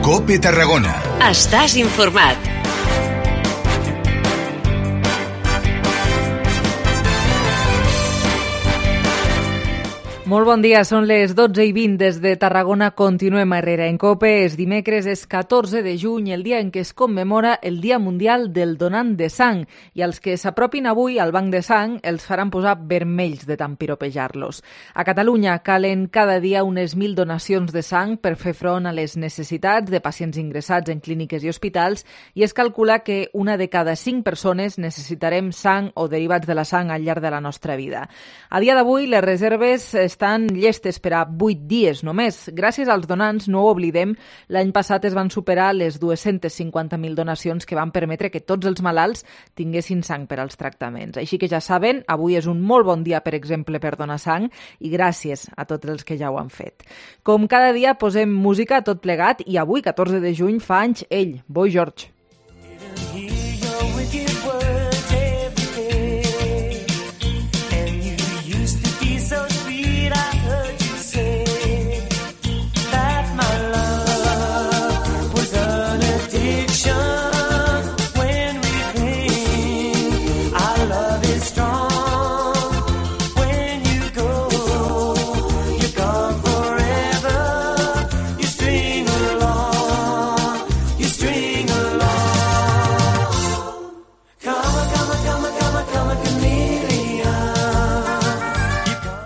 COPE Tarragona. Estàs informat. Molt bon dia, són les 12:20 des de Tarragona. Continuem a Herrera en COPE. És dimecres, és 14 de juny, el dia en què es commemora el Dia Mundial del Donant de Sang. I els que s'apropin avui al banc de sang els faran posar vermells de tant piropejar-los. A Catalunya calen cada dia unes 1.000 donacions de sang per fer front a les necessitats de pacients ingressats en clíniques i hospitals, i es calcula que una de cada 5 persones necessitarem sang o derivats de la sang al llarg de la nostra vida. A dia d'avui, les reserves estan llestes per a 8 dies només. Gràcies als donants, no ho oblidem, l'any passat es van superar les 250.000 donacions que van permetre que tots els malalts tinguessin sang per als tractaments. Així que ja saben, avui és un molt bon dia, per exemple, per donar sang, i gràcies a tots els que ja ho han fet. Com cada dia posem música a tot plegat, i avui, 14 de juny, fa anys ell, Boy George.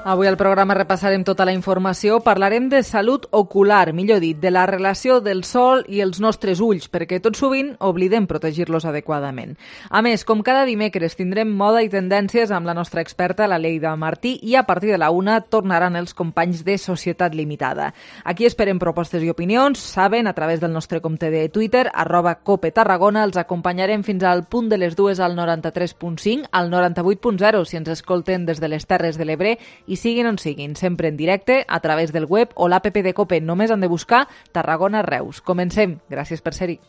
Avui al programa repassarem tota la informació, parlarem de salut ocular, millor dit, de la relació del sol i els nostres ulls, perquè tot sovint oblidem protegir-los adequadament. A més, com cada dimecres, tindrem moda i tendències amb la nostra experta, la Leida Martí, i a partir de la 1 tornaran els companys de Societat Limitada. Aquí esperem propostes i opinions, saben, a través del nostre compte de Twitter, @COPE Tarragona, els acompanyarem fins al punt de les 2 al 93.5, al 98.0 si ens escolten des de les Terres de l'Ebre, i siguin on siguin, sempre en directe, a través del web o l'app de COPE. Només han de buscar Tarragona Reus. Comencem. Gràcies per ser-hi.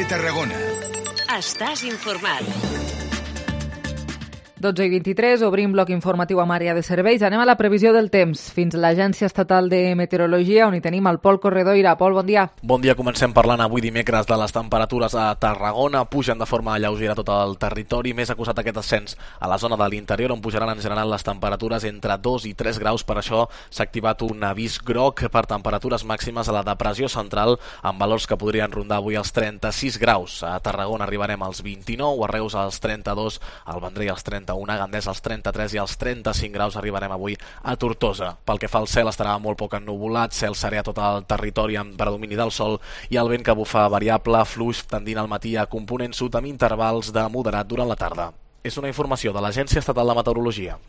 Tarragona. Estàs informat. 12:23, obrim bloc informatiu amb àrea de serveis. Anem a la previsió del temps. Fins a l'Agència Estatal de Meteorologia, on hi tenim el Pol Corredoira. Pol, bon dia. Bon dia, comencem parlant avui dimecres de les temperatures a Tarragona. Pugen de forma lleugera tot el territori, més acusat aquest ascens a la zona de l'interior, on pujaran en general les temperatures entre 2 i 3 graus. Per això s'ha activat un avís groc per temperatures màximes a la depressió central, amb valors que podrien rondar avui els 36 graus. A Tarragona arribarem als 29, a Reus als 32, al Vendrell als 31, a Gandés als 33 i als 35 graus arribarem avui a Tortosa. Pel que fa al cel, estarà molt poc ennuvolat, cel serè a tot el territori amb predomini del sol i el vent que bufa variable, fluix, tendint al matí a component sud amb intervals de moderat durant la tarda. És una informació de l'Agència Estatal de Meteorologia.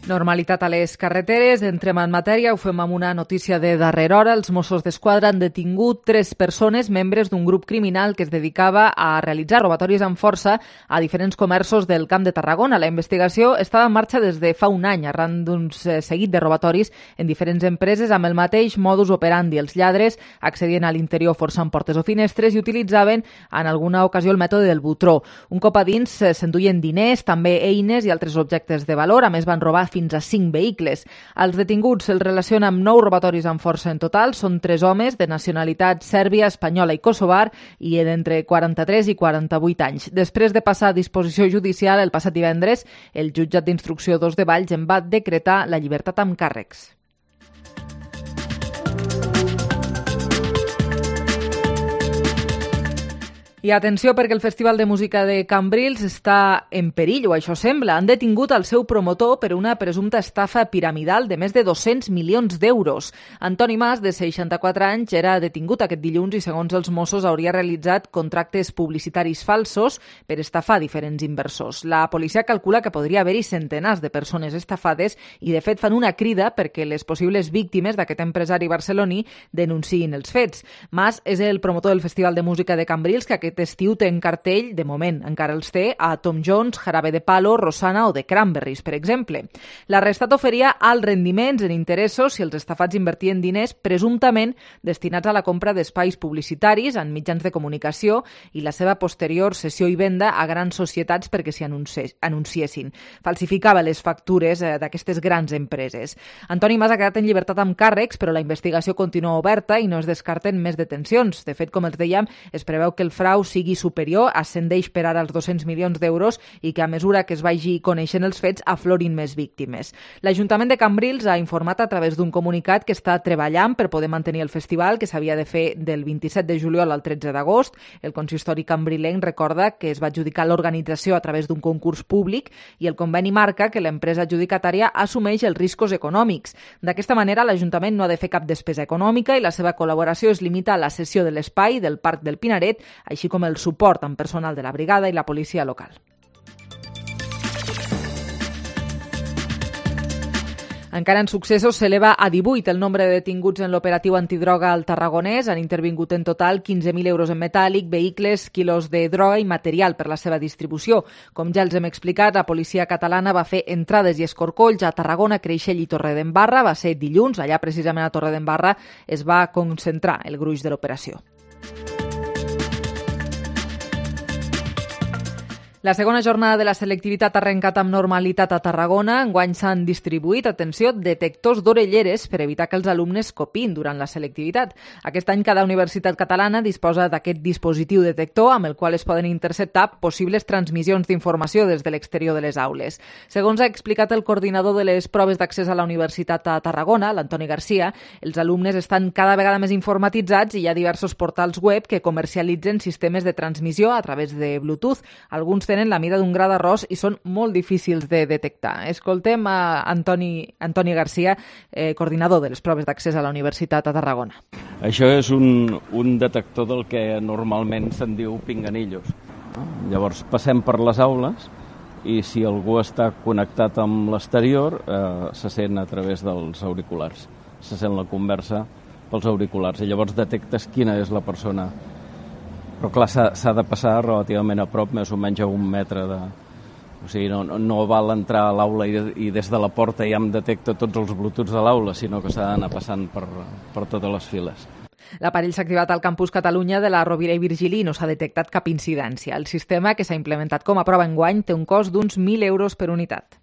Normalitat a les carreteres. Entrem en matèria. Ho fem amb una notícia de darrera hora. Els Mossos d'Esquadra han detingut 3 persones, membres d'un grup criminal que es dedicava a realitzar robatoris amb força a diferents comerços del Camp de Tarragona. La investigació estava en marxa des de fa un any, arran d'un seguit de robatoris en diferents empreses amb el mateix modus operandi. Els lladres accedien a l'interior forçant portes o finestres i utilitzaven en alguna ocasió el mètode del butró. Un cop a dins s'enduien diners, també eines i altres objectes de valor. A més, van robar fins a 5 vehicles. Els detinguts se'ls relaciona amb 9 robatoris amb força en total. Són 3 homes de nacionalitat sèrbia, espanyola i kosovar i d'entre 43 i 48 anys. Després de passar a disposició judicial el passat divendres, el jutjat d'instrucció 2 de Valls en va decretar la llibertat amb càrrecs. I atenció perquè el Festival de Música de Cambrils està en perill, o això sembla. Han detingut el seu promotor per una presumpta estafa piramidal de més de 200 milions d'euros. Antoni Mas, de 64 anys, era detingut aquest dilluns i, segons els Mossos, hauria realitzat contractes publicitaris falsos per estafar diferents inversors. La policia calcula que podria haver-hi centenars de persones estafades i, de fet, fan una crida perquè les possibles víctimes d'aquest empresari barceloní denunciïn els fets. Mas és el promotor del Festival de Música de Cambrils, que aquest estiu té en cartell, de moment encara els té, a Tom Jones, Jarabe de Palo, Rosana o The Cranberries, per exemple. L'Arrestat oferia alts rendiments en interessos si els estafats invertien diners presumptament destinats a la compra d'espais publicitaris en mitjans de comunicació i la seva posterior cessió i venda a grans societats perquè s'hi anunciessin. Falsificava les factures d'aquestes grans empreses. Antoni Mas ha quedat en llibertat amb càrrecs, però la investigació continua oberta i no es descarten més detencions. De fet, com els dèiem, es preveu que el frau sigui superior, ascendeix per ara als 200 milions d'euros i que a mesura que es vagi coneixent els fets aflorin més víctimes. L'Ajuntament de Cambrils ha informat a través d'un comunicat que està treballant per poder mantenir el festival, que s'havia de fer del 27 de juliol al 13 d'agost. El consistori cambrilenc recorda que es va adjudicar l'organització a través d'un concurs públic i el conveni marca que l'empresa adjudicatària assumeix els riscos econòmics. D'aquesta manera, l'Ajuntament no ha de fer cap despesa econòmica i la seva col·laboració es limita a la cessió de l'espai del Parc del Pinaret, així com el suport amb personal de la brigada i la policia local. Encara en successos, s'eleva a 18 el nombre de detinguts en l'operatiu antidroga al Tarragonès. Han intervingut en total 15.000 euros en metàl·lic, vehicles, quilos de droga i material per la seva distribució. Com ja els hem explicat, la policia catalana va fer entrades i escorcolls a Tarragona, Creixell i Torredembarra. Va ser dilluns, allà precisament a Torredembarra es va concentrar el gruix de l'operació. La segona jornada de la selectivitat ha arrencat amb normalitat a Tarragona. Enguany s'han distribuït, atenció, detectors d'orelleres per evitar que els alumnes copin durant la selectivitat. Aquest any cada universitat catalana disposa d'aquest dispositiu detector amb el qual es poden interceptar possibles transmissions d'informació des de l'exterior de les aules. Segons ha explicat el coordinador de les proves d'accés a la Universitat a Tarragona, l'Antoni Garcia, els alumnes estan cada vegada més informatitzats i hi ha diversos portals web que comercialitzen sistemes de transmissió a través de Bluetooth. Alguns tenen la mida d'un gra d'arròs i són molt difícils de detectar. Escoltem a Antoni Garcia, coordinador de les proves d'accés a la Universitat a Tarragona. Això és un detector del que normalment se'n diu pinganillos. Llavors passem per les aules i si algú està connectat amb l'exterior se sent a través dels auriculars. Se sent la conversa pels auriculars i llavors detectes quina és la persona. Però clar, s'ha de passar relativament a prop, més o menys a 1 metre de... O sigui, no val entrar a l'aula i des de la porta ja em detecta tots els Bluetooths de l'aula, sinó que s'ha d'anar passant per totes les files. L'aparell s'ha activat al campus Catalunya de la Rovira i Virgili i no s'ha detectat cap incidència. El sistema, que s'ha implementat com a prova enguany, té un cost d'uns 1.000 euros per unitat.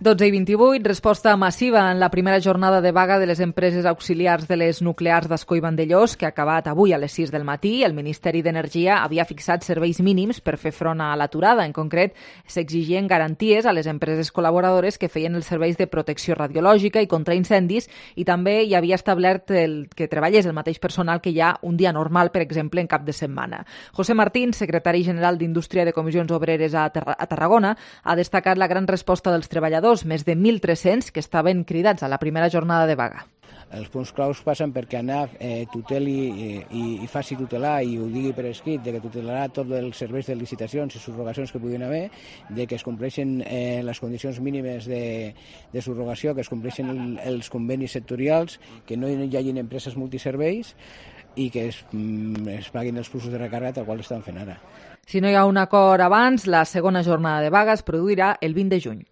12:28, resposta massiva en la primera jornada de vaga de les empreses auxiliars de les nuclears d'Ascó i Vandellós, que ha acabat avui a les 6 del matí. El Ministeri d'Energia havia fixat serveis mínims per fer front a l'aturada. En concret, s'exigien garanties a les empreses col·laboradores que feien els serveis de protecció radiològica i contra incendis, i també hi havia establert que treballés el mateix personal que hi ha un dia normal, per exemple, en cap de setmana. José Martín, secretari general d'Indústria de Comissions Obreres a Tarragona, ha destacat la gran resposta dels treballadors, més de 1.300 que estaven cridats a la primera jornada de vaga. Els punts claus passen perquè ANAF tuteli i faci tutelar, i ho digui per escrit, de que tutelarà tots els serveis de licitacions i subrogacions que puguin haver, de que es compleixin les condicions mínimes de subrogació, que es compleixin els convenis sectorials, que no hi hagin empreses multiserveis i que es paguin els fluxos de recàrrega tal qual estan fent ara. Si no hi ha un acord abans, la segona jornada de vaga es produirà el 20 de juny.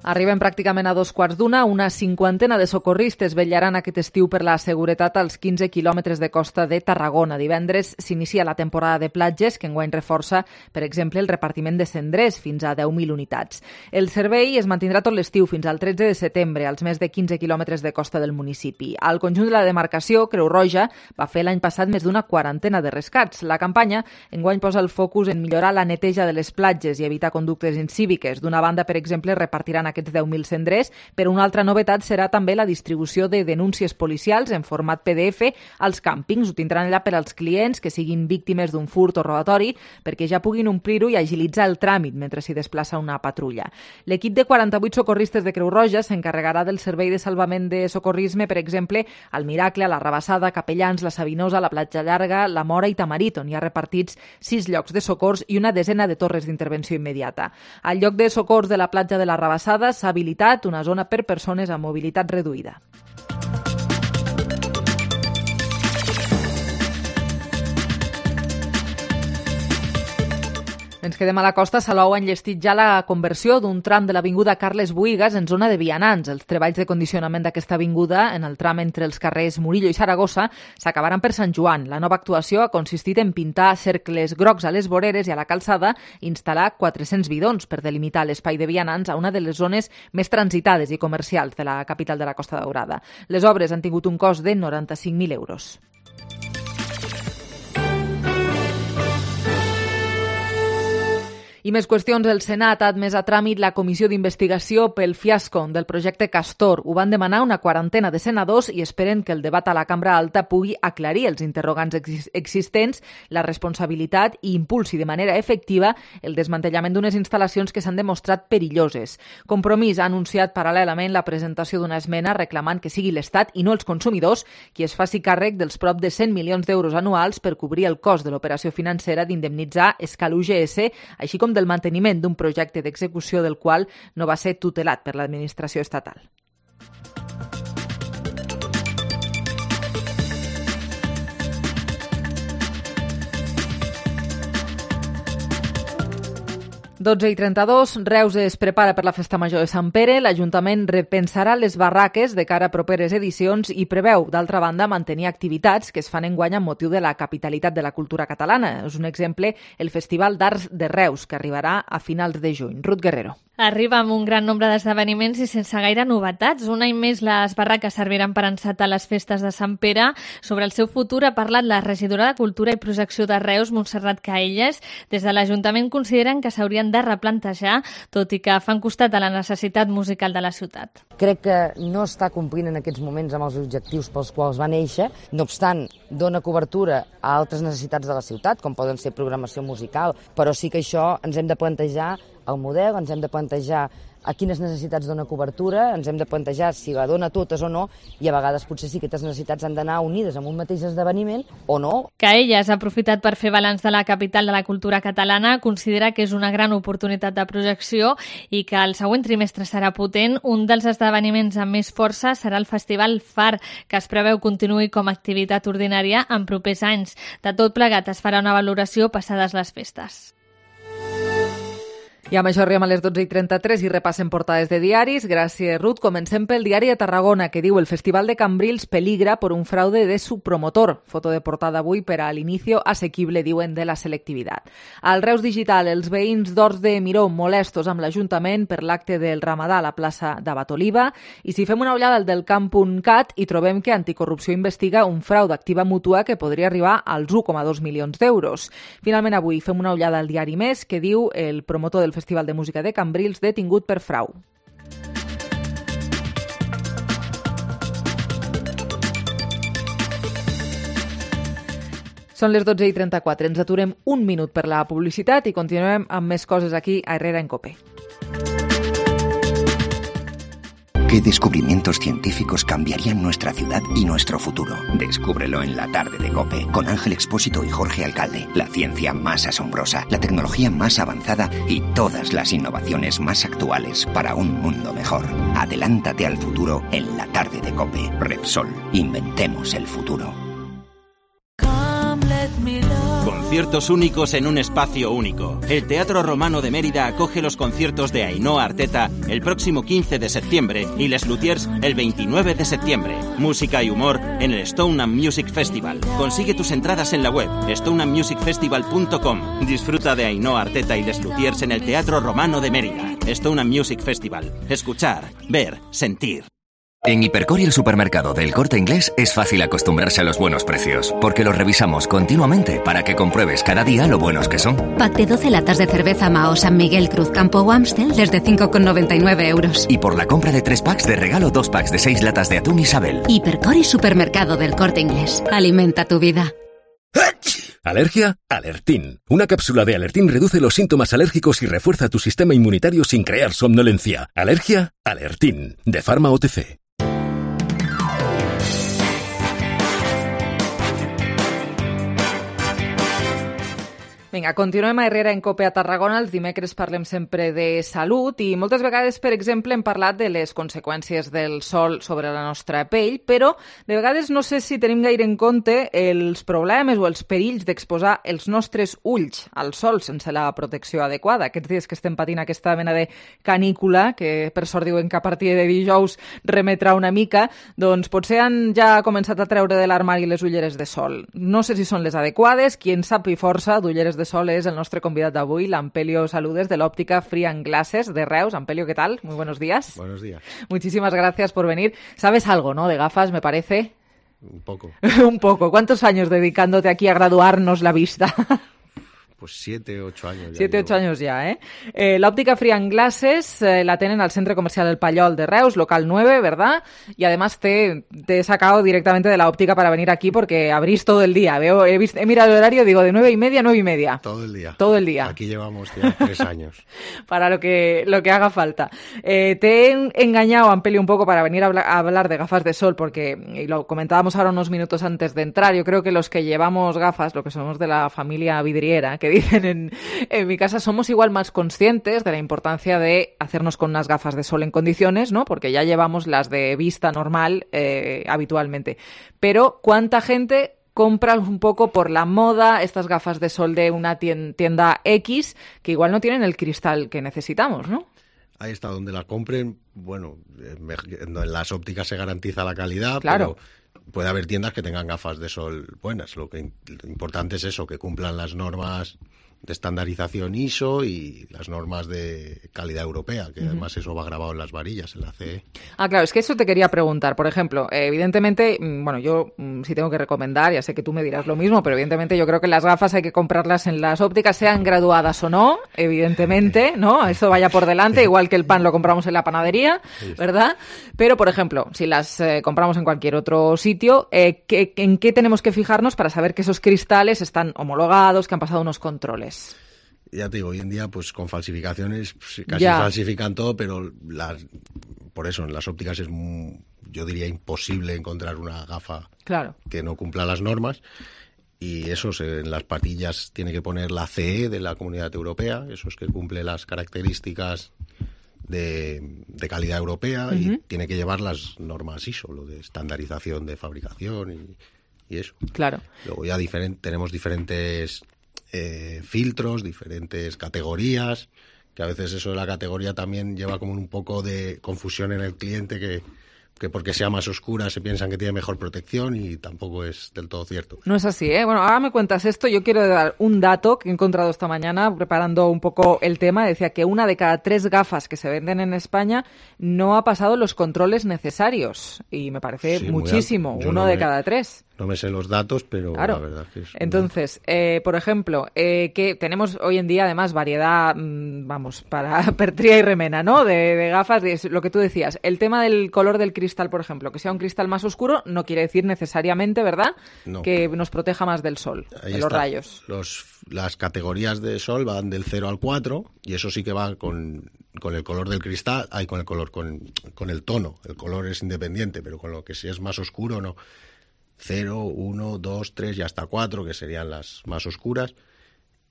Arribem pràcticament a 2:15. Una cinquantena de socorristes vetllaran aquest estiu per la seguretat als 15 quilòmetres de costa de Tarragona. Divendres s'inicia la temporada de platges, que enguany reforça, per exemple, el repartiment de cendrers fins a 10.000 unitats. El servei es mantindrà tot l'estiu fins al 13 de setembre als més de 15 quilòmetres de costa del municipi. Al conjunt de la demarcació, Creu Roja va fer l'any passat més d'una quarantena de rescats. La campanya enguany posa el focus en millorar la neteja de les platges i evitar conductes incíviques. D'una banda, per exemple, repartiran aquest aquests 10.000 cendrers, però una altra novetat serà també la distribució de denúncies policials en format PDF als càmpings. Ho tindran allà per als clients que siguin víctimes d'un furt o robatori, perquè ja puguin omplir-ho i agilitzar el tràmit mentre s'hi desplaça una patrulla. L'equip de 48 socorristes de Creu Roja s'encarregarà del servei de salvament de socorrisme, per exemple, al Miracle, a la Rabassada, Capellans, la Sabinosa, la Platja Llarga, la Mora i Tamarit, on hi ha repartits 6 llocs de socors i una desena de torres d'intervenció immediata. Al lloc de socors de la platja de la Rabassada s'ha habilitat una zona per persones amb mobilitat reduïda. Ens quedem a la costa. Salou ha enllestit ja la conversió d'un tram de l'avinguda Carles Buïgas en zona de vianants. Els treballs de condicionament d'aquesta avinguda en el tram entre els carrers Murillo i Saragossa s'acabaran per Sant Joan. La nova actuació ha consistit en pintar cercles grocs a les voreres i a la calçada i instal·lar 400 bidons per delimitar l'espai de vianants a una de les zones més transitades i comercials de la capital de la Costa Daurada. Les obres han tingut un cost de 95.000 euros. I més qüestions. El Senat ha admès a tràmit la comissió d'investigació pel fiasco del projecte Castor. Ho van demanar una quarantena de senadors i esperen que el debat a la Cambra Alta pugui aclarir els interrogants existents, la responsabilitat i impulsi de manera efectiva el desmantellament d'unes instal·lacions que s'han demostrat perilloses. Compromís ha anunciat paral·lelament la presentació d'una esmena reclamant que sigui l'Estat i no els consumidors qui es faci càrrec dels prop de 100 milions d'euros anuals per cobrir el cost de l'operació financera d'indemnitzar Escal UGS, així com del manteniment d'un projecte d'execució del qual no va ser tutelat per l'administració estatal. i 32, Reus es prepara per la Festa Major de Sant Pere. L'Ajuntament repensarà les barraques de cara a properes edicions i preveu, d'altra banda, mantenir activitats que es fan enguany amb motiu de la capitalitat de la cultura catalana. És un exemple el Festival d'Arts de Reus, que arribarà a finals de juny. Ruth Guerrero. Arriba amb un gran nombre d'esdeveniments i sense gaire novetats. Un any més les barraques serviran per encetar les festes de Sant Pere. Sobre el seu futur ha parlat la regidora de Cultura i Projecció de Reus, Montserrat Caelles. Des de l'Ajuntament consideren que s'haurien de replantejar, tot i que fan costat a la necessitat musical de la ciutat. Crec que no està complint en aquests moments amb els objectius pels quals va néixer. No obstant, dona cobertura a altres necessitats de la ciutat, com poden ser programació musical, però sí que això ens hem de plantejar el model, ens hem de plantejar a quines necessitats dona cobertura, ens hem de plantejar si la dona totes o no, i a vegades potser sí que aquestes necessitats han d'anar unides en un mateix esdeveniment o no. Que ella ha aprofitat per fer balanç de la capital de la cultura catalana, considera que és una gran oportunitat de projecció i que el següent trimestre serà potent. Un dels esdeveniments amb més força serà el Festival Far, que es preveu continuï com a activitat ordinària en propers anys. De tot plegat es farà una valoració passades les festes. I amb això arribem a les 12:33 i repassem portades de diaris. Gràcies, Ruth. Comencem pel diari de Tarragona, que diu: el Festival de Cambrils peligra por un fraude de su promotor. Foto de portada avui per a l'inicio asequible, diuen, de la selectivitat. Al Reus Digital, els veïns d'Horts de Miró molestos amb l'Ajuntament per l'acte del Ramadà a la plaça d'Abat Oliva. I si fem una ullada al del camp.cat, hi trobem que Anticorrupció investiga un frau d'activa mútua que podria arribar als 1,2 milions d'euros. Finalment, avui fem una ullada al diari Més, que diu: el promotor del Festival de Música de Cambrils detingut per frau. Són les 12:34. Ens aturem un minut per la publicitat i continuem amb més coses aquí a Herrera en COPE. ¿Qué descubrimientos científicos cambiarían nuestra ciudad y nuestro futuro? Descúbrelo en la tarde de COPE, con Ángel Expósito y Jorge Alcalde. La ciencia más asombrosa, la tecnología más avanzada y todas las innovaciones más actuales para un mundo mejor. Adelántate al futuro en la tarde de COPE. Repsol, inventemos el futuro. Conciertos únicos en un espacio único. El Teatro Romano de Mérida acoge los conciertos de Ainhoa Arteta el próximo 15 de septiembre y Les Luthiers el 29 de septiembre. Música y humor en el Stone and Music Festival. Consigue tus entradas en la web stoneandmusicfestival.com. Disfruta de Ainhoa Arteta y Les Luthiers en el Teatro Romano de Mérida. Stone and Music Festival. Escuchar, ver, sentir. En Hipercor y el supermercado del Corte Inglés es fácil acostumbrarse a los buenos precios, porque los revisamos continuamente para que compruebes cada día lo buenos que son. Pack de 12 latas de cerveza Mao San Miguel Cruz Campo o Amstel desde 5,99 euros. Y por la compra de 3 packs de regalo 2 packs de 6 latas de atún Isabel. Hipercor y supermercado del Corte Inglés. Alimenta tu vida. ¿Alergia? Alertín. Una cápsula de Alertín reduce los síntomas alérgicos y refuerza tu sistema inmunitario sin crear somnolencia. ¿Alergia? Alertín. De Pharma OTC. Vinga, continuem a Herrera en COPE a Tarragona. Els dimecres parlem sempre de salut i moltes vegades, per exemple, hem parlat de les conseqüències del sol sobre la nostra pell, però de vegades no sé si tenim gaire en compte els problemes o els perills d'exposar els nostres ulls al sol sense la protecció adequada. Aquests dies que estem patint aquesta mena de canícula, que per sort diuen que a partir de dijous remetrà una mica, doncs potser han ja començat a treure de l'armari les ulleres de sol. No sé si són les adequades, qui en sap i força d'ulleres de sol es el nuestro convidado de avui, l'Ampelio Saludes de l'Òptica Free and Glasses de Reus. Ampelio, ¿qué tal? Muy buenos días. Buenos días. Muchísimas gracias por venir. ¿Sabes algo, no, de gafas, me parece? Un poco. Un poco. ¿Cuántos años dedicándote aquí a graduarnos la vista? Pues 7, 8 años. 7, 8 años ya, ¿eh? L'Òptica Free and Glasses la tienen al Centro Comercial El Pallol de Reus, local 9, ¿verdad? Y además te he sacado directamente de la óptica para venir aquí porque abrís todo el día. He mirado el horario, digo, de 9:30 a 9:30. Todo el día. Todo el día. Aquí llevamos ya 3 años. Para lo que haga falta. Te he engañado, Ampelio, un poco para venir a hablar de gafas de sol porque, y lo comentábamos ahora unos minutos antes de entrar, yo creo que los que llevamos gafas, lo que somos de la familia vidriera, que dicen en mi casa, somos igual más conscientes de la importancia de hacernos con unas gafas de sol en condiciones, ¿no? Porque ya llevamos las de vista normal habitualmente. Pero ¿cuánta gente compra un poco por la moda estas gafas de sol de una tienda X que igual no tienen el cristal que necesitamos, ¿no? Ahí está, donde la compren, bueno, en las ópticas se garantiza la calidad, claro. Pero puede haber tiendas que tengan gafas de sol buenas. Lo importante es eso, que cumplan las normas de estandarización ISO y las normas de calidad europea, que además eso va grabado en las varillas, en la CE. Ah, claro, es que eso te quería preguntar. Por ejemplo, evidentemente, bueno, yo sí tengo que recomendar, ya sé que tú me dirás lo mismo, pero evidentemente yo creo que las gafas hay que comprarlas en las ópticas, sean graduadas o no, evidentemente, ¿no? Eso vaya por delante, igual que el pan lo compramos en la panadería, ¿verdad? Pero, por ejemplo, si las compramos en cualquier otro sitio, ¿en qué tenemos que fijarnos para saber que esos cristales están homologados, que han pasado unos controles? Ya te digo, hoy en día pues con falsificaciones casi falsifican todo, pero por eso en las ópticas es yo diría imposible encontrar una gafa que no cumpla las normas, y eso en las patillas tiene que poner la CE de la Comunidad Europea, eso es que cumple las características de calidad europea y tiene que llevar las normas ISO, lo de estandarización de fabricación y eso. Claro. Luego ya tenemos diferentes filtros, diferentes categorías, que a veces eso de la categoría también lleva como un poco de confusión en el cliente, que porque sea más oscura se piensan que tiene mejor protección y tampoco es del todo cierto. No es así, ¿eh? Bueno, ahora me cuentas esto. Yo quiero dar un dato que he encontrado esta mañana preparando un poco el tema. Decía que 1 de cada 3 gafas que se venden en España no ha pasado los controles necesarios. Y me parece muchísimo, 1 de cada 3. No me sé los datos, pero la verdad es que es... Entonces, por ejemplo, que tenemos hoy en día además variedad, para pertría y remena, ¿no? De gafas, lo que tú decías. El tema del color del cristal, por ejemplo, que sea un cristal más oscuro, no quiere decir necesariamente, ¿verdad? No. Que nos proteja más del sol, de los rayos. Las categorías de sol van del 0 al 4, y eso sí que va con el color del cristal, con el tono. El color es independiente, pero con lo que si es más oscuro, no. 0, 1, 2, 3 y hasta 4, que serían las más oscuras.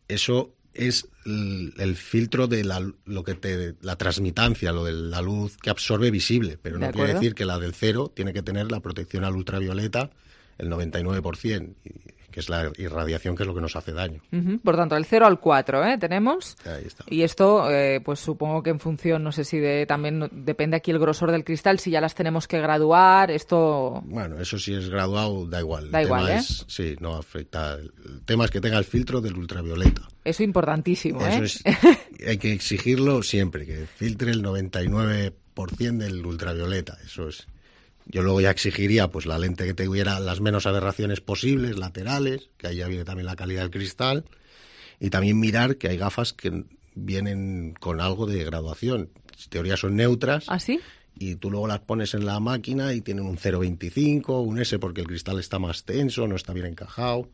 Eso es el filtro de la transmitancia, lo de la luz que absorbe visible, pero no quiere decir que la del 0 tiene que tener la protección al ultravioleta el 99%, que es la irradiación, que es lo que nos hace daño. Por tanto, del 0 al 4 tenemos. Ahí está. Y esto, pues supongo que en función, no sé si también depende aquí el grosor del cristal, si ya las tenemos que graduar, esto... Bueno, eso si es graduado, da igual. Da igual, sí, no afecta. El tema es que tenga el filtro del ultravioleta. Eso importantísimo, Eso hay que exigirlo siempre, que filtre el 99% del ultravioleta. Eso es Yo luego ya exigiría pues la lente que tuviera las menos aberraciones posibles, laterales, que ahí ya viene también la calidad del cristal, y también mirar que hay gafas que vienen con algo de graduación. En teoría son neutras. ¿Ah, sí? Y tú luego las pones en la máquina y tienen un 0,25, un S porque el cristal está más tenso, no está bien encajado.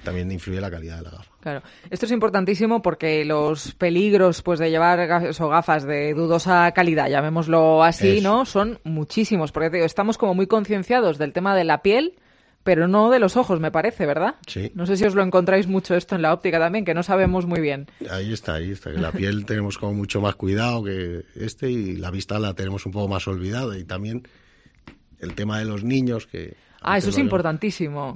También influye la calidad de la gafa. Claro. Esto es importantísimo porque los peligros pues de llevar gafas de dudosa calidad, llamémoslo así, ¿no? Son muchísimos. Porque te digo, estamos como muy concienciados del tema de la piel, pero no de los ojos, me parece, ¿verdad? Sí. No sé si os lo encontráis mucho esto en la óptica también, que no sabemos muy bien. Ahí está. Que la piel tenemos como mucho más cuidado que y la vista la tenemos un poco más olvidada. Y también el tema de los niños que... Eso es importantísimo.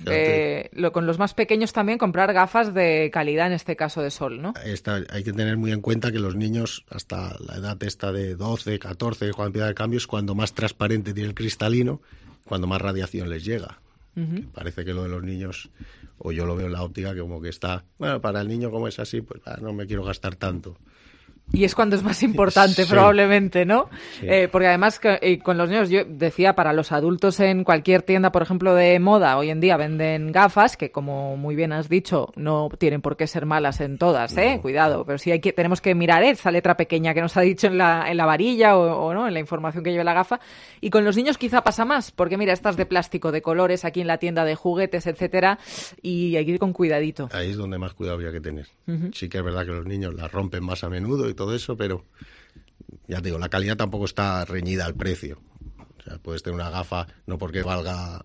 Con los más pequeños también comprar gafas de calidad, en este caso de sol, ¿no? Hay que tener muy en cuenta que los niños, hasta la edad esta de 12, 14, cuando empieza el cambio, es cuando más transparente tiene el cristalino, cuando más radiación les llega. Que parece que lo de los niños, o yo lo veo en la óptica, que como que está, bueno, para el niño como es así, pues no me quiero gastar tanto. Y es cuando es más importante, probablemente, ¿no? Sí. Porque además con los niños, yo decía, para los adultos en cualquier tienda, por ejemplo, de moda, hoy en día venden gafas que, como muy bien has dicho, no tienen por qué ser malas en todas, ¿eh? Cuidado, pero sí tenemos que mirar esa letra pequeña que nos ha dicho en la varilla o no, en la información que lleva la gafa. Y con los niños quizá pasa más, porque mira, estas de plástico, de colores, aquí en la tienda de juguetes, etcétera, y hay que ir con cuidadito. Ahí es donde más cuidado habría que tener. Sí que es verdad que los niños las rompen más a menudo y todo eso, pero ya te digo, la calidad tampoco está reñida al precio. O sea, puedes tener una gafa, no porque valga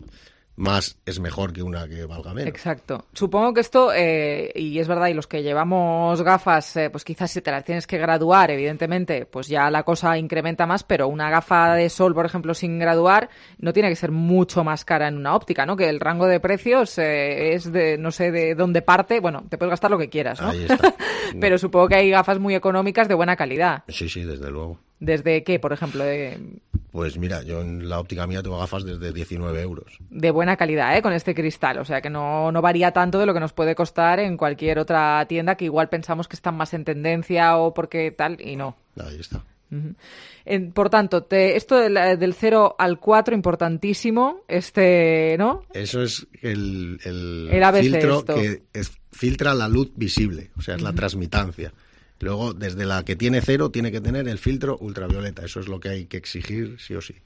más es mejor que una que valga menos. Exacto. Supongo que esto, y es verdad, y los que llevamos gafas, pues quizás si te las tienes que graduar, evidentemente, pues ya la cosa incrementa más, pero una gafa de sol, por ejemplo, sin graduar, no tiene que ser mucho más cara en una óptica, ¿no? Que el rango de precios es de, no sé de dónde parte, bueno, te puedes gastar lo que quieras, ¿no? Ahí está. Pero supongo que hay gafas muy económicas de buena calidad. Sí, desde luego. ¿Desde qué, por ejemplo? Pues mira, yo en la óptica mía tengo gafas desde 19 euros. De buena calidad, con este cristal. O sea, que no varía tanto de lo que nos puede costar en cualquier otra tienda que igual pensamos que están más en tendencia o porque tal, y no. Ahí está. Por tanto, esto del 0 al 4, importantísimo, ¿no? Eso es el ABC filtro esto. que filtra la luz visible, o sea, es la transmitancia. Luego, desde la que tiene 0, tiene que tener el filtro ultravioleta. Eso es lo que hay que exigir, sí o sí.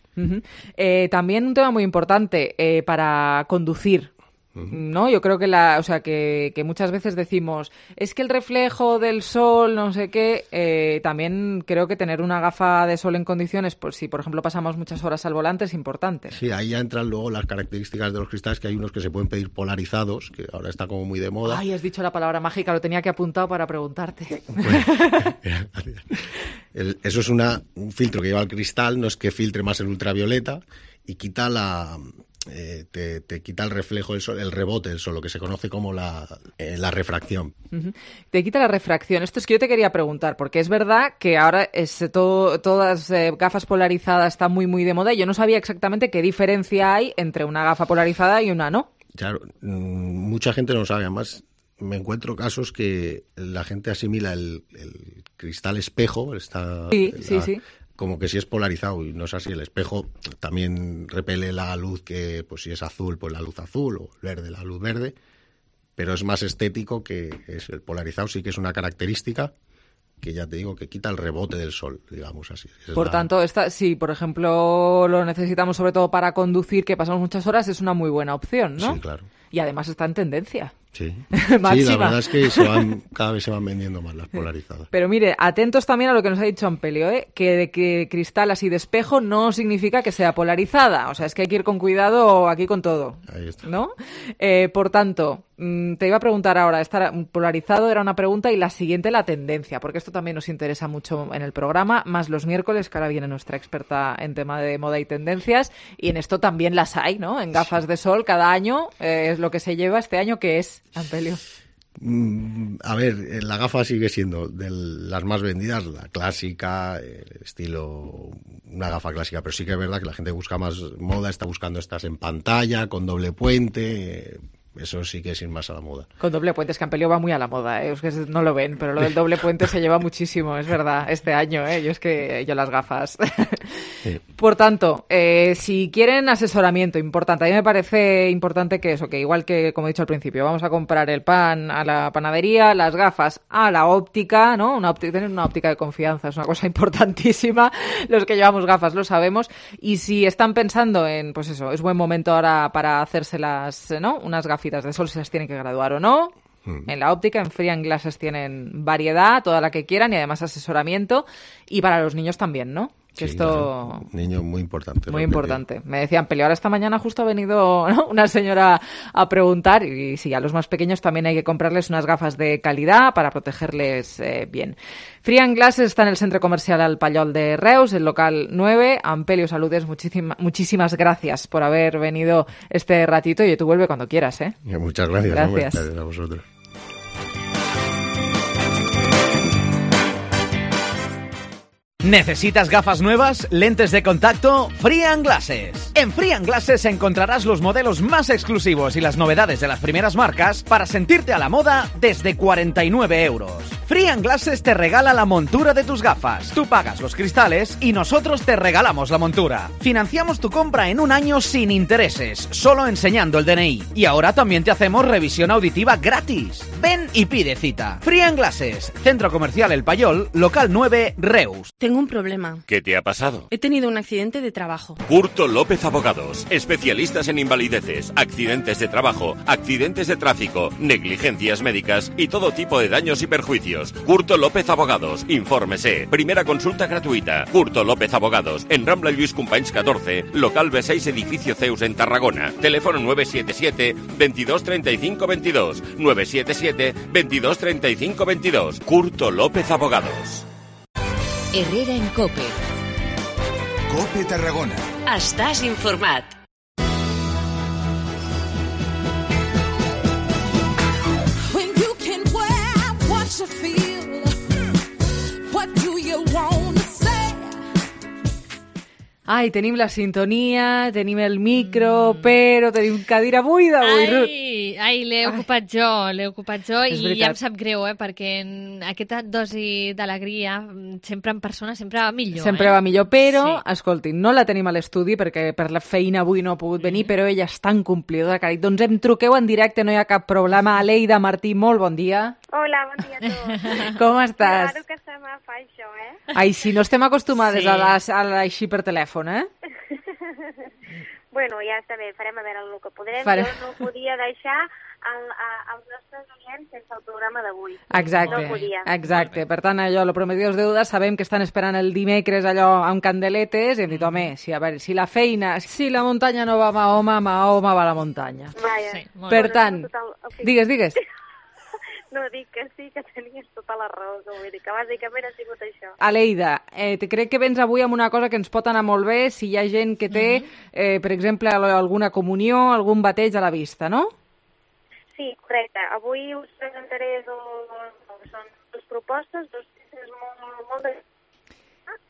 También un tema muy importante para conducir. ¿No? Yo creo que muchas veces decimos, es que el reflejo del sol, no sé qué, también creo que tener una gafa de sol en condiciones, pues si por ejemplo pasamos muchas horas al volante, es importante. Sí, ahí ya entran luego las características de los cristales, que hay unos que se pueden pedir polarizados, que ahora está como muy de moda. Ay, has dicho la palabra mágica, lo tenía que apuntado para preguntarte. Eso es un filtro que lleva el cristal, no es que filtre más el ultravioleta y quita te quita el reflejo del sol, el rebote del sol, lo que se conoce como la refracción. Te quita la refracción. Esto es que yo te quería preguntar, porque es verdad que ahora todas gafas polarizadas están muy, muy de moda y yo no sabía exactamente qué diferencia hay entre una gafa polarizada y una no. Claro, mucha gente no lo sabe. Además, me encuentro casos que la gente asimila el cristal espejo, sí. como que si es polarizado, y no es así. El espejo también repele la luz que, pues si es azul, pues la luz azul, o verde, la luz verde, pero es más estético que es el polarizado, sí que es una característica que ya te digo que quita el rebote del sol, digamos así. Por tanto, si por ejemplo lo necesitamos sobre todo para conducir, que pasamos muchas horas, es una muy buena opción, ¿no? Sí, claro. Y además está en tendencia. Sí. Sí, la verdad es que cada vez se van vendiendo más las polarizadas. Pero mire, atentos también a lo que nos ha dicho Ampelio, que cristal así de espejo no significa que sea polarizada. O sea, es que hay que ir con cuidado aquí con todo. Ahí está. ¿No? Por tanto, te iba a preguntar ahora, estar polarizado era una pregunta y la siguiente la tendencia, porque esto también nos interesa mucho en el programa, más los miércoles, que ahora viene nuestra experta en tema de moda y tendencias, y en esto también las hay, ¿no? En gafas de sol cada año es lo que se lleva este año, ¿qué es, Ampelio? A ver, la gafa sigue siendo de las más vendidas, la clásica, el estilo, una gafa clásica, pero sí que es verdad que la gente busca más moda, está buscando estas en pantalla, con doble puente. Eso sí que es ir más a la moda. Con doble puente, es que Ampelio va muy a la moda, Es que no lo ven, pero lo del doble puente se lleva muchísimo, es verdad, este año, Yo las gafas. Sí. Por tanto, si quieren asesoramiento, importante, a mí me parece importante que eso, que igual que, como he dicho al principio, vamos a comprar el pan a la panadería, las gafas a la óptica, ¿no? Tener una óptica de confianza es una cosa importantísima. Los que llevamos gafas lo sabemos. Y si están pensando en, pues eso, es buen momento ahora para hacérselas, ¿no? Unas gafitas de sol, si las tienen que graduar o no. En la óptica, en Free Glasses tienen variedad, toda la que quieran y además asesoramiento. Y para los niños también, ¿no? Que sí, esto... Claro. Niño muy importante. Muy importante. Me decían, Peli, ahora esta mañana justo ha venido, ¿no?, una señora a preguntar y sí, a los más pequeños también hay que comprarles unas gafas de calidad para protegerles bien. Free Glasses está en el Centre Comercial Al Pallol de Reus, el local 9. Ampelio, saludes, muchísimas gracias por haber venido este ratito y tú vuelve cuando quieras, ¿eh? Muchas gracias. Gracias. Gracias a vosotros. ¿Necesitas gafas nuevas? ¿Lentes de contacto? Free Glasses. En Free Glasses encontrarás los modelos más exclusivos y las novedades de las primeras marcas para sentirte a la moda desde 49 euros. Free Glasses te regala la montura de tus gafas. Tú pagas los cristales y nosotros te regalamos la montura. Financiamos tu compra en un año sin intereses, solo enseñando el DNI. Y ahora también te hacemos revisión auditiva gratis. Ven y pide cita. Free Glasses, Centro Comercial El Pallol, local 9, Reus. Tengo un problema. ¿Qué te ha pasado? He tenido un accidente de trabajo. Curto López Abogados, especialistas en invalideces, accidentes de trabajo, accidentes de tráfico, negligencias médicas y todo tipo de daños y perjuicios. Curto López Abogados, infórmese. Primera consulta gratuita. Curto López Abogados, en Rambla Lluís Companys 14, local B6, edificio Zeus en Tarragona. Teléfono 977 22 35 22. 977 22 35 22. Curto López Abogados. Herrera en COPE. COPE Tarragona. Estàs informat. When you can wear what you feel, what do you want to say? Ai, tenim la sintonia, tenim el micro, però tenim cadira buida avui. Ai, l'he ocupat jo És i veritat. ja em sap greu, perquè aquesta dosi d'alegria sempre en persona sempre va millor. Sempre va millor, però, Sí. escoltin, no la tenim a l'estudi perquè per la feina avui no ha pogut venir, però ella és tan complidora que ha dit, doncs em truqueu en directe, no hi ha cap problema. Aleida Martí, molt bon dia. Hola, bon dia a tots. Com estàs? Claro que se me fa això, Ai, si no estem acostumades Sí. a així per telèfon, eh? Bueno, ja està bé, farem a veure el que podrem. Farem. Jo no podia deixar els nostres oients sense el programa d'avui. Exacte, No podia. exacte. Per tant, allò, lo prometido es deuda, sabem que estan esperant el dimecres allò amb candeletes i hem dit, home, si, a veure, si la feina, si la muntanya no va a Mahoma, Mahoma va a la muntanya. Vaja. Sí, molt Per Bueno, tant, total- digues. No, dic que sí, que tenies tota la raó, que vull dir que bàsicament ha sigut això. Aleida, crec que vens avui amb una cosa que ens pot anar molt bé si hi ha gent que té, per exemple, alguna comunió, algun bateig a la vista, no? Sí, correcte. Avui us presentaré són dues propostes, dos peces molt de...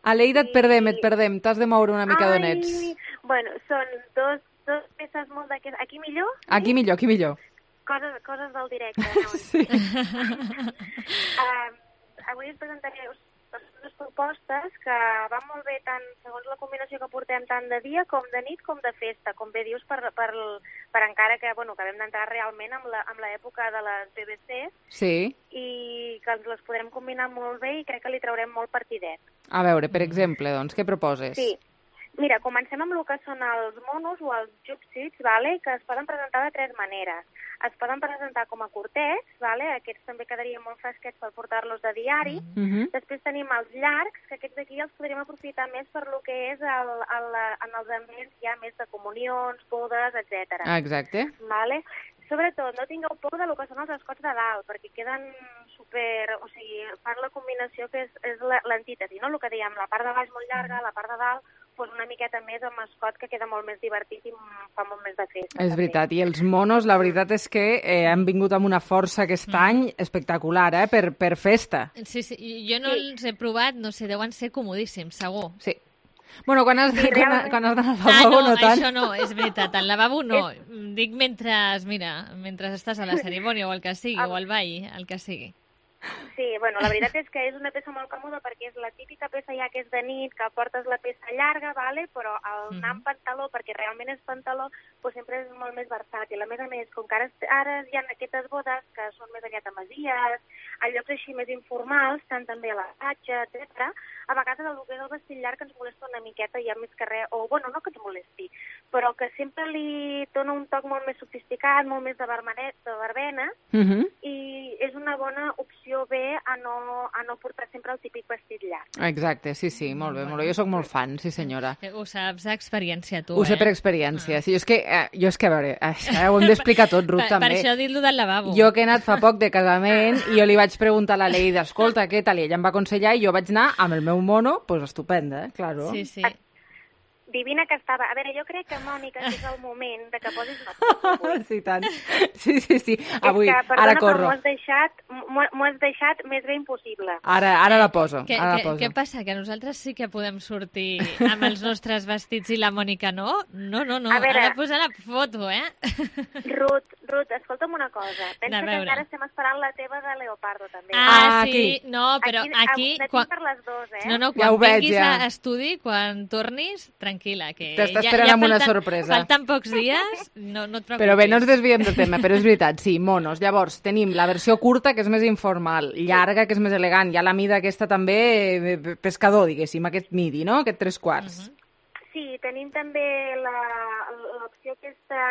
Aleida, et perdem, t'has de moure una mica d'on ets. Bueno, són dos peces molt de... Aquí millor? Aquí millor. Coses del directe. No? Sí. Avui us presentaré dues propostes que van molt bé tant segons la combinació que portem tant de dia com de nit com de festa, com bé dius, per encara que, bueno, que vam d'entrar realment amb l'època de les BBC Sí. i que ens les podrem combinar molt bé i crec que li traurem molt partidet. A veure, per exemple, doncs, què proposes? Sí. Mira, comencem amb el que són els monos o els jupsits, vale? Que es poden presentar de tres maneres. Es poden presentar com a curtets, vale? Aquests també quedarien molt fresquets per portar-los de diari. Després tenim els llargs, que aquests d'aquí els podríem aprofitar més per lo que és en els ambients ja més de comunions, bodes, etc. Exacte. Vale? Sobretot, no tingueu por de lo que són els escots de dalt, perquè queden super... O sigui, fan la combinació que és l'antítesi, no? El que dèiem, la part de baix molt llarga, la part de dalt, doncs una miqueta més amb escot, que queda molt més divertit i fa molt més de festa. És veritat, i els monos, la veritat és que han vingut amb una força aquest any espectacular, per festa. Sí, jo no els he provat, no sé, deuen ser comodíssims, segur. Sí. Bueno, quan has d'anar al lavabo, no tant. Això no, és veritat, al lavabo no. Dic mentre estàs a la cerimònia o el que sigui, o al ball, el que sigui. Sí, bueno, la veritat és que és una peça molt còmoda perquè és la típica peça ja que és de nit, que portes la peça llarga, vale? Però el anar amb pantaló, perquè realment és pantaló, doncs sempre és molt més versàtil. A més, com que ara hi ha aquestes bodes que són més aviat a masies, a llocs així més informals, tant també a la platja, etc. A vegades el que és el vestit llarg ens molesta una miqueta, ja més que res, o bueno, no que ens molesti, però que sempre li dona un toc molt més sofisticat, molt més de verbena, i és una bona opció bé a no portar sempre el típic vestit llarg. Exacte, sí, molt bé. Jo sóc molt fan, sí senyora. Ho saps d'experiència, tu, Ho sé per experiència. Sí, jo és que, a veure, ho hem d'explicar tot, Ruth, també. Per això he dit lo del lavabo. Jo que he anat fa poc de casament i jo li vaig preguntar a la Leida, escolta, què tal? I ella em va aconsellar i jo vaig anar amb el meu mono, doncs estupenda, claro. Sí. Divina que estava. A veure, jo crec que, Mònica, és el moment de que posis una foto. Sí, tant. Sí. Avui, és que, perdona, ara corro. M'ho has deixat més bé impossible. Ara la poso. Què passa? Que nosaltres sí que podem sortir amb els nostres vestits i la Mònica no? No. A veure, ha de posar la foto, eh? Ruth, escolta'm una cosa. Pensa que encara estem esperant la teva de Leopardo, també. Sí. No, però aquí... Quan... per les dues, eh? No, quan vinguis a estudi, quan tornis, tranquil·la, que t'està esperant amb una sorpresa. Falten pocs dies, no et preocupis. Però bé, no ens desviem del tema, però és veritat, sí, monos. Llavors, tenim la versió curta, que és més informal, llarga, que és més elegant, hi ha la mida aquesta també, pescador, diguéssim, aquest midi, no?, aquest 3/4. Sí, tenim també l'opció aquesta,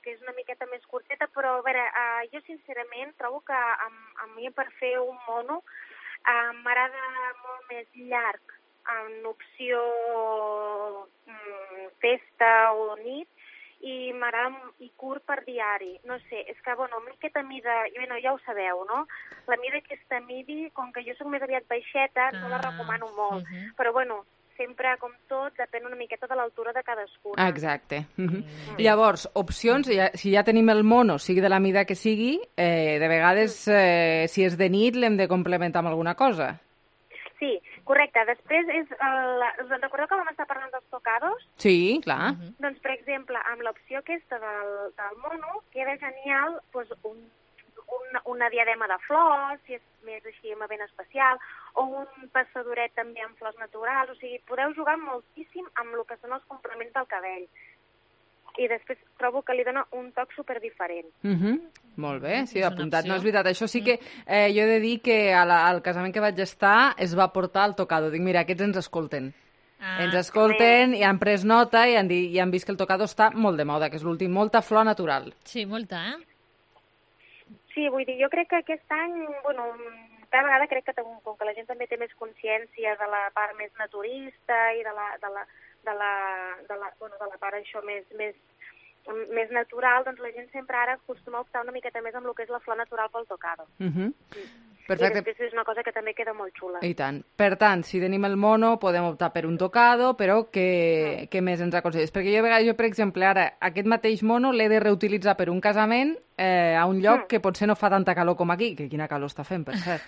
que és una miqueta més curteta, però a veure, jo sincerament trobo que a mi per fer un mono m'agrada molt més llarg, en opció festa o nit, i m'agrada i curt per diari. No sé, és que, bueno, aquesta mida, ja ho sabeu, no? La mida aquesta midi, com que jo soc més aviat baixeta, no la recomano molt. Però, bueno, sempre, com tot, depèn una miqueta de l'altura de cadascú. Exacte. Llavors, opcions, si ja tenim el mono, sigui de la mida que sigui, de vegades, si és de nit, l'hem de complementar amb alguna cosa. Sí, correcte. Després, us recordeu que vam estar parlant dels tocados? Sí, clar. Doncs, per exemple, amb l'opció aquesta del mono, queda genial una diadema de flors, si és més així ben especial, o un passadoret també amb flors naturals. O sigui, podeu jugar moltíssim amb el que són els complements del cabell. I després trobo que li dona un toc superdiferent. Molt bé, sí, apuntat. No és veritat, això sí que jo he de dir que al casament que vaig estar es va portar el tocado. Dic, mira, aquests ens escolten. Ens escolten i han pres nota i han vist que el tocado està molt de moda, que és l'últim, molta flor natural. Sí, molta, Sí, vull dir, jo crec que aquest any, bueno, cada vegada crec que com que la gent també té més consciència de la part més naturista i de la part això més natural, doncs la gent sempre ara acostuma a optar una miqueta més amb el que és la flor natural pel tocado. Perfecte. I després és una cosa que també queda molt xula. I tant. Per tant, si tenim el mono, podem optar per un tocado, però què més ens aconselles? Perquè jo, per exemple, ara, aquest mateix mono l'he de reutilitzar per un casament a un lloc que potser no fa tanta calor com aquí, que quina calor està fent, per cert.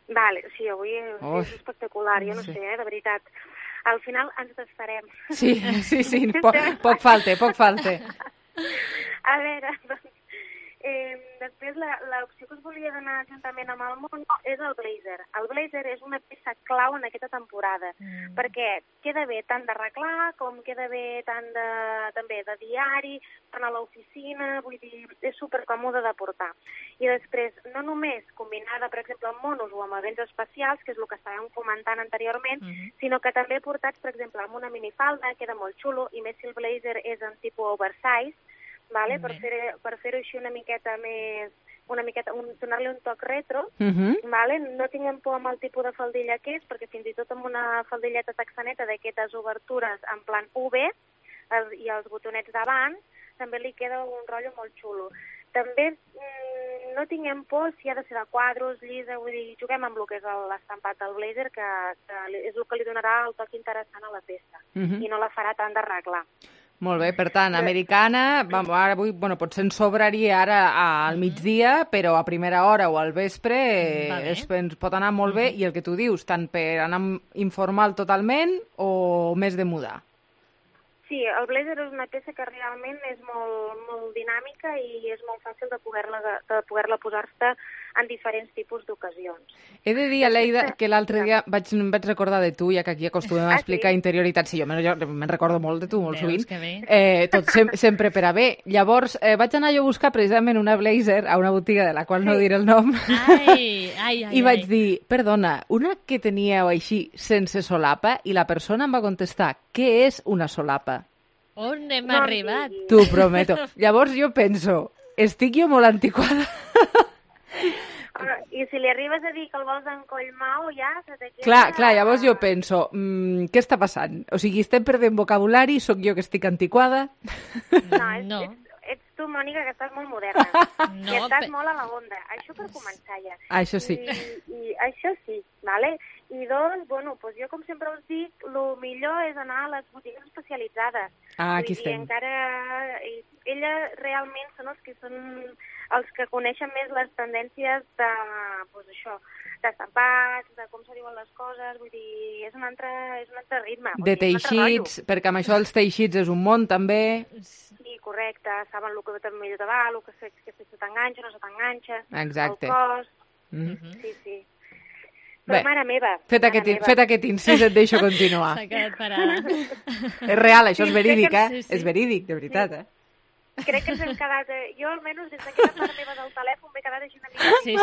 Vale, sí, avui és espectacular, jo no sé, de veritat. Al final ens desfarem. Sí, poc falta. A veure, doncs, després l'opció que us volia donar juntament amb el mono és el blazer. El blazer és una peça clau en aquesta temporada, perquè queda bé tant d'arreglar com queda bé tant també de diari, tant a l'oficina, vull dir, és supercòmode de portar. I després, no només combinada, per exemple, amb monos o amb events especials, que és el que estàvem comentant anteriorment, sinó que també portats, per exemple, amb una minifalda, queda molt xulo, i més si el blazer és en tipus oversize, vale? Per fer-ho així una miqueta més, donar-li un toc retro, vale? No tinguem por amb el tipus de faldilla que és, perquè fins i tot amb una faldilleta texaneta d'aquestes obertures en plan V i els botonets davant, també li queda un rotllo molt xulo. També no tinguem por si ha de ser de quadros, llisa, vull dir, juguem amb el que és l'estampat del blazer, que és el que li donarà el toc interessant a la peça, i no la farà tant d'arreglar. Molt bé, per tant, americana, ara avui, potser ens sobraria ara al migdia, però a primera hora o al vespre ens pot anar molt bé, i el que tu dius, tant per anar informal totalment o més de mudar? Sí, el blazer és una peça que realment és molt dinàmica i és molt fàcil de poder-la posar-se en diferents tipus d'ocasions. He de dir, Aleida, que l'altre dia em vaig recordar de tu, ja que aquí acostumem a explicar interioritat. Sí, jo me'n recordo molt de tu, molt sovint. Tot sempre per a bé. Llavors, vaig anar jo a buscar precisament una blazer a una botiga de la qual no diré el nom. I vaig dir, perdona, una que teníeu així sense solapa, i la persona em va contestar, què és una solapa? On hem arribat? T'ho prometo. Llavors jo penso, estic jo molt antiquada? I si li arribes a dir que el vols en Collmau, ja se te queda... Clar, llavors jo penso, què està passant? O sigui, estem perdent vocabulari, sóc jo que estic antiquada? No. Ets tu, Mònica, que estàs molt moderna. I estàs molt a la onda. Això per començar ja. Això sí. I això sí, vale? I doncs, bueno, doncs jo com sempre us dic, el millor és anar a les botigues especialitzades. Aquí estem. Encara elles realment són els que coneixen més les tendències de, doncs això, d'estampats, de com se diuen les coses, vull dir, és un altre ritme. De teixits, perquè amb això els teixits és un món també. Sí, correcte, saben el que millor te va, el que se t'enganxa, no se t'enganxa, exacte. El cost, sí. Però bé, mare meva. Fet aquest incís, et deixo continuar. S'ha quedat parada. És real, això és verídic, eh? És verídic, de veritat, eh? Crec que ens hem quedat... Jo, almenys, des d'aquesta part meva del telèfon, m'he quedat així una mica... Sí.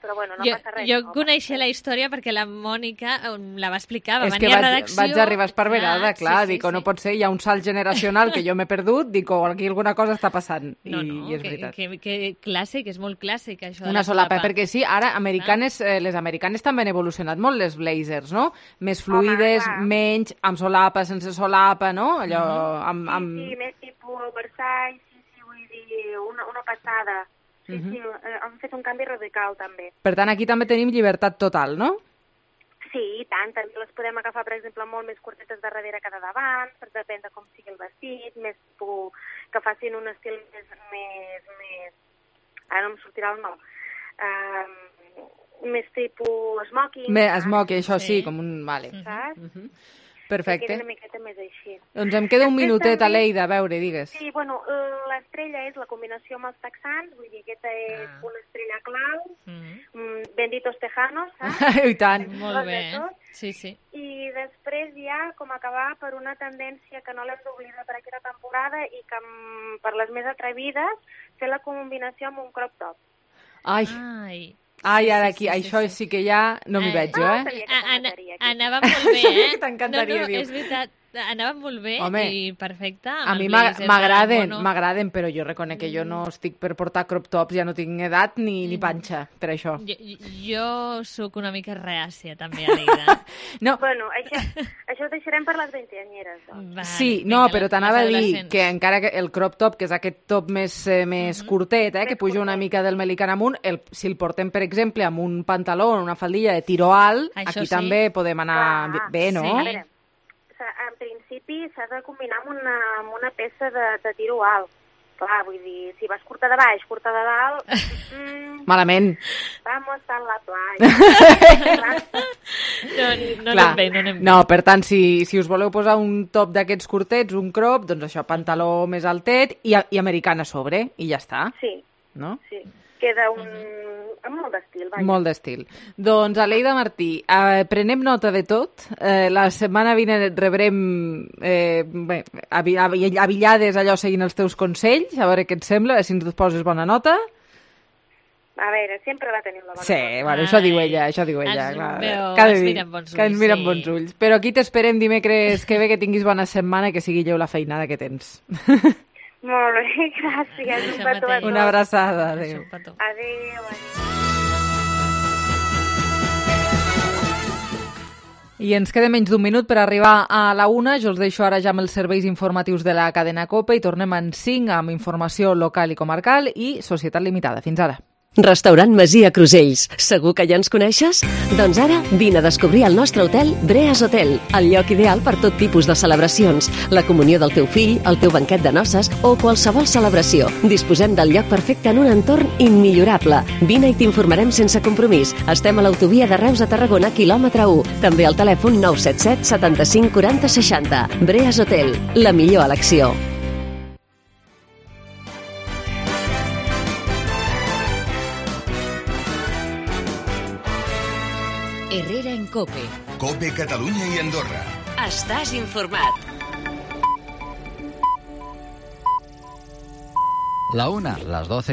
Però bueno, no passa res. Jo coneixia la història perquè la Mònica la va explicar, va venir a redacció... Vaig arribar esparverada, clar, dic, no pot ser, hi ha un salt generacional que jo m'he perdut, dic, aquí alguna cosa està passant, i és veritat. Que clàssic, és molt clàssic, això. Una solapa, perquè sí, ara les americanes també han evolucionat molt, les blazers, no? Més fluides, menys, amb solapa, sense solapa, no? Allò, Sí, més tipus Versailles, sí, vull dir, una passada. Sí, han fet un canvi radical, també. Per tant, aquí també tenim llibertat total, no? Sí, i tant. També les podem agafar, per exemple, molt més curtetes de darrere que de davant, per depèn de com sigui el vestit, més que facin un estil més... Ara no em sortirà el nom. Més tipus smoking. Smoking, això sí, com un... Vale. Saps? Perfecte. Que queda una miqueta més així. Doncs em queda un minutet, Aleida, a veure, digues. Sí, bueno, l'estrella és la combinació amb els texans, vull dir, aquesta és una estrella clau, benditos tejanos, saps? I tant. Molt bé, sí. I després ja, com acabar per una tendència que no l'hem d'oblidar per aquesta temporada i que per les més atrevides, fer la combinació amb un crop top. Ai, ara aquí, això sí que ja no m'hi veig jo, Anava molt bé, eh? T'encantaria, diu. És veritat, anava molt bé i perfecte. A mi m'agraden, però jo reconec que jo no estic per portar crop tops, ja no tinc edat ni panxa per això. Jo sóc una mica reàcia, també, Aleida. Bueno, això ho deixarem per les 20anyeres. Sí, no, però t'anava a dir que encara que el crop top, que és aquest top més curtet, que puja una mica del melican amunt, si el portem, per exemple, amb un pantaló o una faldilla de tiro alt, aquí també podem anar bé, no? A veure, en principi s'ha de combinar amb una peça de tiro alt. Clar, vull dir, si vas curta de baix, curta de dalt... Malament. Vamos a la playa. No anem bé. No, per tant, si us voleu posar un top d'aquests curtets, un crop, doncs això, pantaló més altet i americana a sobre, i ja està. Sí. No? Sí. Queda amb molt d'estil. Molt d'estil. Doncs, Aleida Martí, prenem nota de tot. La setmana vinent rebrem avillades allò seguint els teus consells, a veure què et sembla, si ens poses bona nota. A veure, sempre va tenir la bona nota. Sí, bueno, això diu ella. Ens miren bons ulls. Però aquí t'esperem dimecres que ve, que tinguis bona setmana i que sigui lleu la feinada que tens. Molt bé, gràcies. Un petó a tots. Una abraçada. Adéu. Adéu. I ens queda menys d'un minut per arribar a la 1. Jo els deixo ara ja amb els serveis informatius de la cadena COPE i tornem en 5 amb informació local i comarcal i Societat Limitada. Fins ara. Restaurant Masia Crusells. Segur que ja ens coneixes? Doncs ara vine a descobrir el nostre hotel Breas Hotel, el lloc ideal per tot tipus de celebracions, la comunió del teu fill, el teu banquet de noces o qualsevol celebració. Disposem del lloc perfecte en un entorn immillorable. Vine i t'informarem sense compromís. Estem a l'autovia de Reus a Tarragona, quilòmetre 1. També al telèfon 977 75 40 60. Breas Hotel, la millor elecció. Herrera en COPE. COPE Catalunya i Andorra. Estàs informat. La 1, las 12.